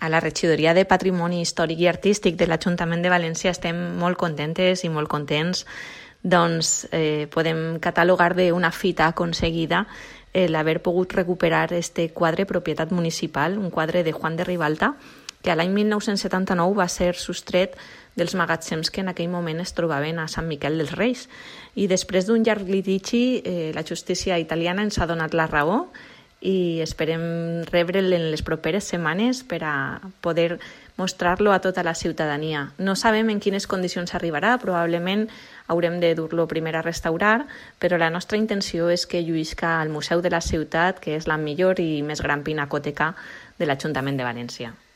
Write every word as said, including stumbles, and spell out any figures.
A la Regidoria de Patrimoni Històric i Artístic de l'Ajuntament de València estem molt contentes i molt contents. Doncs eh, podem catalogar d'una fita aconseguida l'haver pogut recuperar este quadre propietat municipal, un quadre de Juan de Ribalta, que a l'any mil nou-cents setanta-nou va ser sostret dels magatzems que en aquell moment es trobaven a Sant Miquel dels Reis. I després d'un llarg litigi, eh, la justícia italiana ens ha donat la raó i esperem rebre'l en les properes setmanes per a poder mostrar-lo a tota la ciutadania. No sabem en quines condicions arribarà, probablement haurem de dur-lo primer a restaurar, però la nostra intenció és que lluïsca al Museu de la Ciutat, que és la millor i més gran pinacoteca de l'Ajuntament de València.